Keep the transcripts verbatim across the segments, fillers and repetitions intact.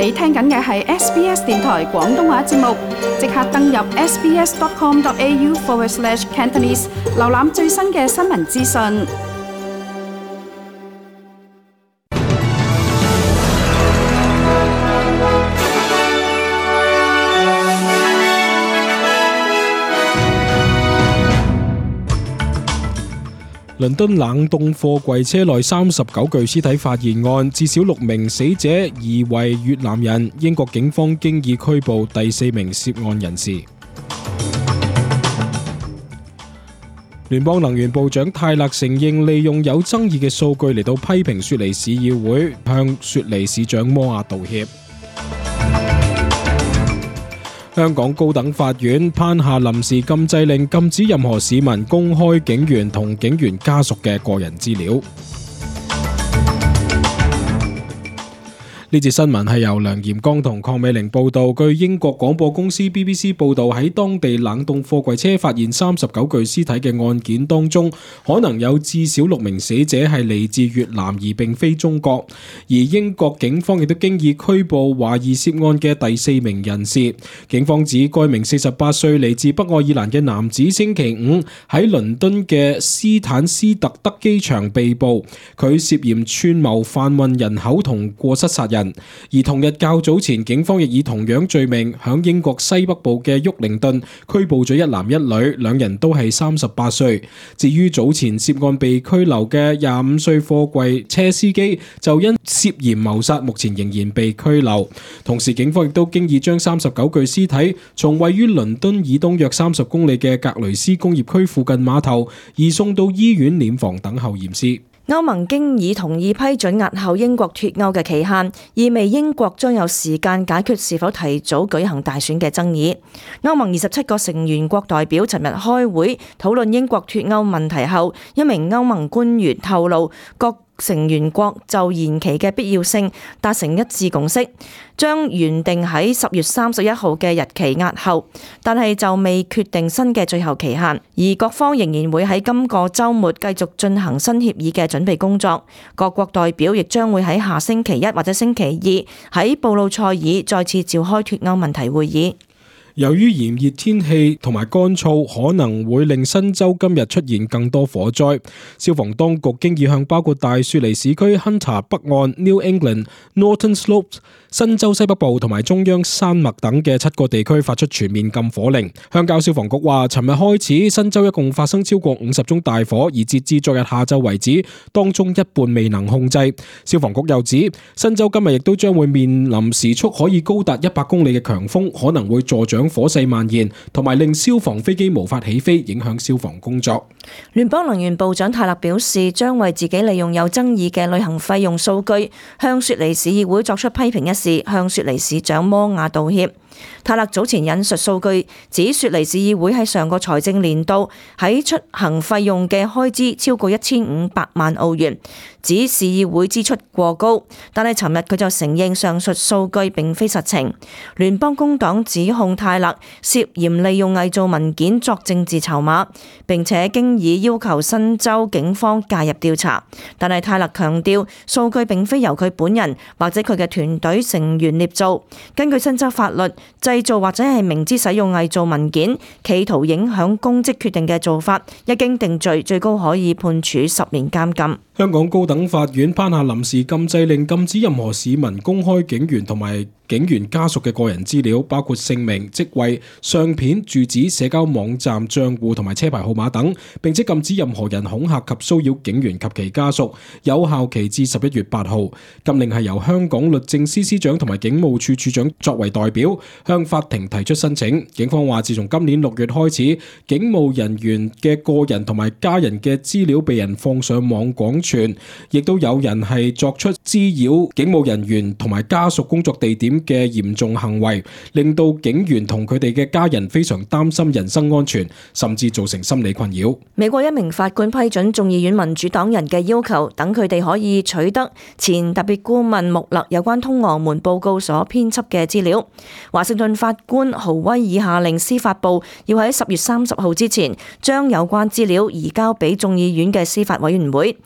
你聽緊嘅係 S B S 電台廣東話節目，即刻登入 sbs.com.au forward slash Cantonese， 瀏覽最新嘅新聞資訊。倫敦冷凍貨櫃車內三十九具屍體發現案，至少六名死者疑為越南人。英國警方經已拘捕第四名涉案人士。聯邦能源部長泰勒承認利用有爭議嘅數據嚟到批評雪梨市議會，向雪梨市長摩亞道歉。香港高等法院頒下臨時禁制令，禁止任何市民公開警員同警員家屬嘅個人資料。呢節新聞係由梁炎光同鄺美玲報道。據英國廣播公司 B B C 報道，喺當地冷凍貨櫃車發現三十九具屍體嘅案件當中，可能有至少六名死者係嚟自越南而並非中國。而英國警方亦都經已拘捕懷疑涉案嘅第四名人士。警方指該名四十八歲嚟自北愛爾蘭嘅男子星期五喺倫敦嘅斯坦斯特德機場被捕，佢涉嫌串謀販運人口同過失殺人。而同日較早前，警方亦以同樣罪名響英國西北部嘅沃靈頓拘捕咗一男一女，兩人都係三十八歲。至於早前涉案被拘留嘅廿五歲貨櫃車司機，就因涉嫌謀殺，目前仍然被拘留。同時，警方亦都經已將三十九具屍體從位於倫敦以東約三十公里嘅格雷斯工業區附近碼頭移送到醫院殮房等候驗屍。歐盟經已同意批准押後英國脫歐嘅期限，意味英國將有時間解決是否提早舉行大選嘅爭議。歐盟二十七個成員國代表尋日開會討論英國脫歐問題後，一名歐盟官員透露，各成員國就延期嘅必要性達成一致共識，將原定喺十月三十一號嘅日期押後，但係就未決定新嘅最後期限。而各方仍然會喺今個週末繼續進行新協議嘅準備工作。各國代表亦將會喺下星期一或者星期二喺布魯塞爾再次召開脫歐問題會議。由於炎熱天氣同埋乾燥，可能會令新州今日出現更多火災。消防當局經已向包括大雪梨市區、Hunter 北岸、New England、Northern Slopes、新州西北部同埋中央山脈等嘅七個地區發出全面禁火令。鄉郊消防局話，尋日開始，新州一共發生超過五十宗大火，而截至昨日下晝為止，當中一半未能控制。消防局又指，新州今日亦都將會面臨時速可以高達一百公里嘅強風，可能會助長火勢蔓延，同埋令消防飛機無法起飛，影響消防工作。聯邦能源部長泰勒表示，將為自己利用有爭議嘅旅行費用數據向雪梨市議會作出批評一事，向雪梨市長摩亞道歉。泰勒早前引述數據，指雪梨市議會喺上個財政年度喺出行費用嘅開支超過一千五百萬澳元，指市議會支出過高。但係尋日佢就承認上述數據並非實情。聯邦工黨指控泰勒涉嫌利用偽造文件作政治籌碼，並且經已要求新州警方介入調查。但係泰勒強調，數據並非由佢本人或者佢嘅團隊成員捏造。根據新州法律，製造或者係明知使用偽造文件，企圖影響公職決定嘅做法，一經定罪，最高可以判處十年監禁。香港高等法院頒下臨時禁制令，禁止任何市民公開警員同埋警員家屬嘅個人資料，包括姓名、職位、相片、住址、社交網站賬戶同埋車牌號碼等，並且禁止任何人恐嚇及騷擾警員及其家屬，有效期至十一月八號。禁令係由香港律政司司長同埋警務處處長作為代表向法庭提出申請。警方話，自從今年六月開始，警務人員嘅個人同埋家人嘅資料被人放上網廣傳，亦都有人係作出滋擾警務人員同埋家屬工作地點嘅嚴重行為，令到警員同佢哋嘅家人非常擔心人身安全，甚至造成心理困擾。美國一名法官批准眾議院民主黨人嘅要求，等佢哋可以取得前特別顧問穆勒有關通俄門報告所編輯嘅資料。華盛頓法官豪威爾下令司法部要喺十月三十號之前將有關資料移交俾眾議院嘅司法委員會。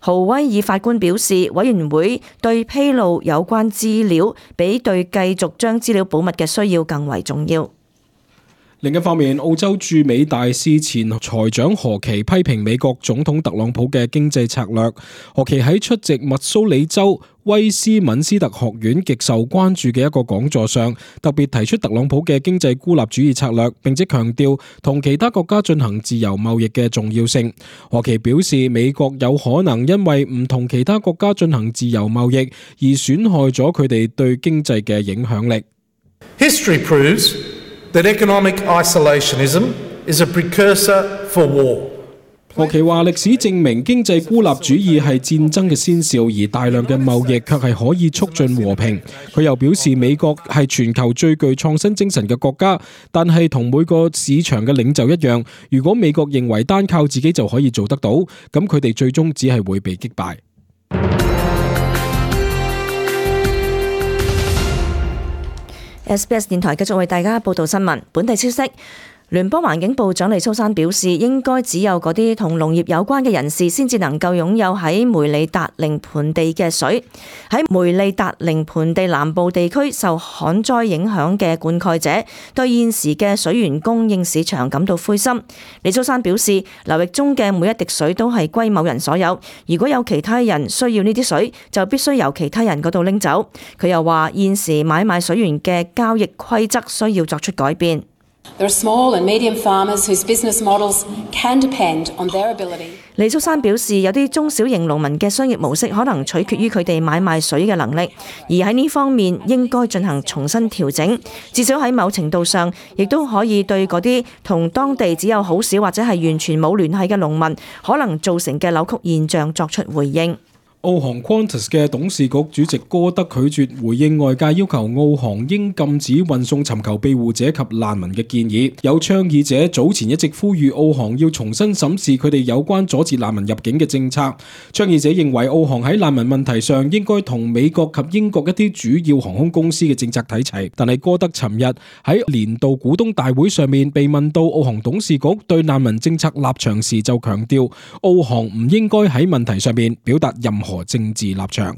豪威爾法官表示，委員會對披露有關資料比對繼續將資料保密嘅需要更為重要。另一方面，澳洲駐美大使前財長何奇批評美國總統特朗普嘅經濟策略。何奇喺出席密蘇里州威斯敏斯特學院極受關注嘅一個講座上，特別提出特朗普嘅經濟孤立主義策略，並且強調同其他國家進行自由貿易嘅重要性。何奇表示，美國有可能因為唔同其他國家進行自由貿易而損害咗佢哋對經濟嘅影響力。History proves that economic isolationism is a precursor for war. 何奇話歷史證明經濟孤立主義係戰爭嘅先兆，而大量嘅貿易卻係可以促進和平。佢又表示美國係全球最具創新精神嘅國家，但係同每個市場嘅領袖一樣，如果美國認為單靠自己就可以做得到，咁佢哋最終只係會被擊敗。S B S 電台繼續為大家報道新聞。本地消息，聯邦環境部長黎蘇珊表示，應該只有嗰啲同農業有關嘅人士先至能夠擁有喺梅里達寧盆地嘅水。喺梅里達寧盆地南部地區受旱災影響嘅灌溉者對現時嘅水源供應市場感到灰心。黎蘇珊表示，流域中嘅每一滴水都係歸某人所有，如果有其他人需要呢啲水，就必須由其他人嗰度拎走。佢又話，現時買賣水源嘅交易規則需要作出改變。There are small and medium farmers whose business models can depend on their ability. 李蘇珊表示，有啲中小型農民嘅商業模式可能取決於佢哋買賣水嘅能力，而喺呢方面應該進行重新調整。至少喺某程度上，亦都可以對嗰啲同當地只有好少或者係完全冇聯繫嘅農民可能造成嘅扭曲現象作出回應。澳航 Qantas 嘅董事局主席哥德拒絕回應外界要求澳航應禁止運送尋求庇護者及難民嘅建議。有倡議者早前一直呼籲澳航要重新審視佢哋有關阻截難民入境嘅政策。倡議者認為澳航喺難民問題上應該同美國及英國一啲主要航空公司嘅政策睇齊。但係哥德尋日喺年度股東大會上面被問到澳航董事局對難民政策立場時，就強調澳航唔應該喺問題上面表達任何和政治立場。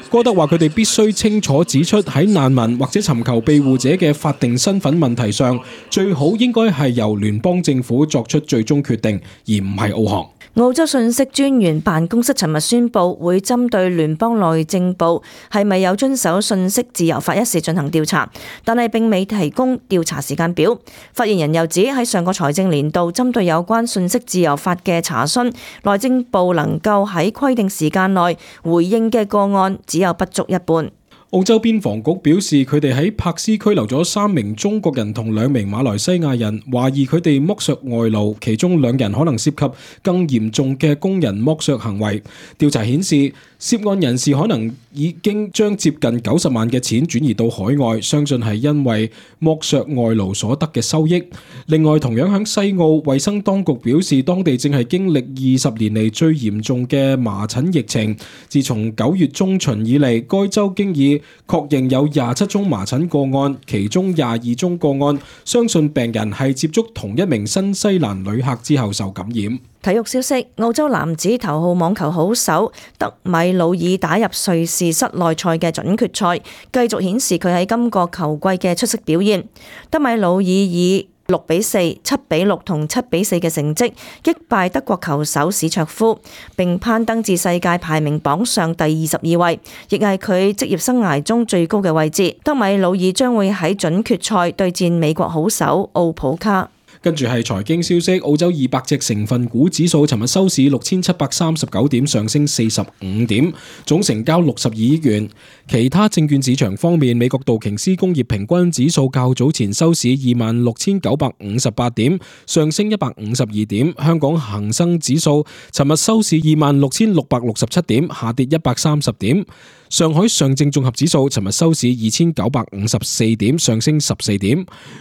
哥德話佢哋必須清楚指出，喺難民或者尋求庇護者嘅法定身份問題上，最好應該係由聯邦政府作出最終決定，而唔係澳航。澳洲信息專員辦公室尋日宣布，會針對聯邦內政部係咪有遵守信息自由法一事進行調查，但係並未提供調查時間表。發言人又指，喺上個財政年度針對有關信息自由法嘅查詢，內政部能夠喺規定時間內回應嘅個案只有不足一半。澳洲邊防局表示，佢哋喺柏斯拘留咗三名中國人同兩名馬來西亞人，懷疑佢哋剝削外勞，其中兩人可能涉及更嚴重嘅工人剝削行為。調查顯示，涉案人士可能已經將接近九十萬嘅錢轉移到海外，相信係因為剝削外勞所得嘅收益。另外，同樣喺西澳，衛生當局表示，當地正係經歷二十年嚟最嚴重嘅麻疹疫情。自從九月中旬以嚟，該州經已確認有廿七宗麻疹個案，其中廿二宗個案相信病人係接觸同一名新西蘭旅客之後受感染。體育消息，澳洲男子頭號網球好手德米魯爾打入瑞士室內賽嘅準決賽，繼續顯示佢喺今個球季嘅出色表現。德米魯爾以六比四、七比六同七比四嘅成績擊敗德國球手史卓夫，並攀登至世界排名榜上第二十二位，亦係佢職業生涯中最高嘅位置。德米魯爾將會喺準決賽對戰美國好手奧普卡。跟住係財經消息，澳洲二百隻成分股指數尋日收市六千七百三十九點，上升四十五點，總成交六十二億元。其他證券市場方面，美國道瓊斯工業平均指數較早前收市二萬六千九百五十八點，上升一百五十二點。香港恒生指數尋日收市二萬六千六百六十七點，下跌一百三十點。上海上證綜合指數尋日收市二千九百五十四點，上升十四點。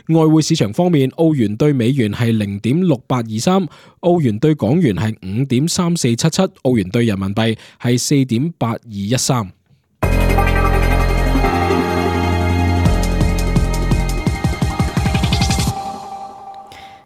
外匯市場方面，澳元對美元係零點六八二三，澳元對港元係五點三四七七，澳元對人民幣係四點八二一三。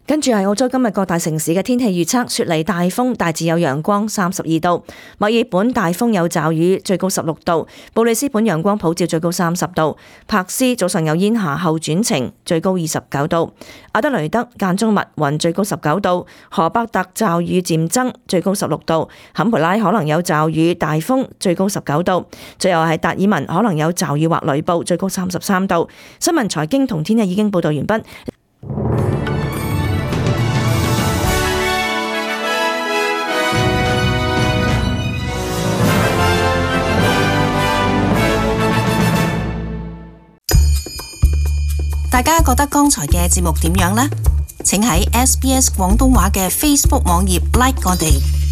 跟住係澳洲今日各大城市嘅天氣預測：雪梨大風，大致有陽光，三十二度；墨爾本大風有驟雨，最高十六度；布里斯本陽光普照，最高三十度；柏斯早上有煙霞後轉晴，最高二十九度；阿德雷德間中密雲，最高十九度；荷伯特驟雨漸增，最高十六度；坎培拉可能有驟雨大風，最高十九度；最後係達爾文可能有驟雨或雷暴，最高三十三度。新聞財經同天氣已經報道完畢。大家覺得剛才嘅節目點樣呢？請喺 S B S 廣東話嘅 Facebook 網頁 like 我哋。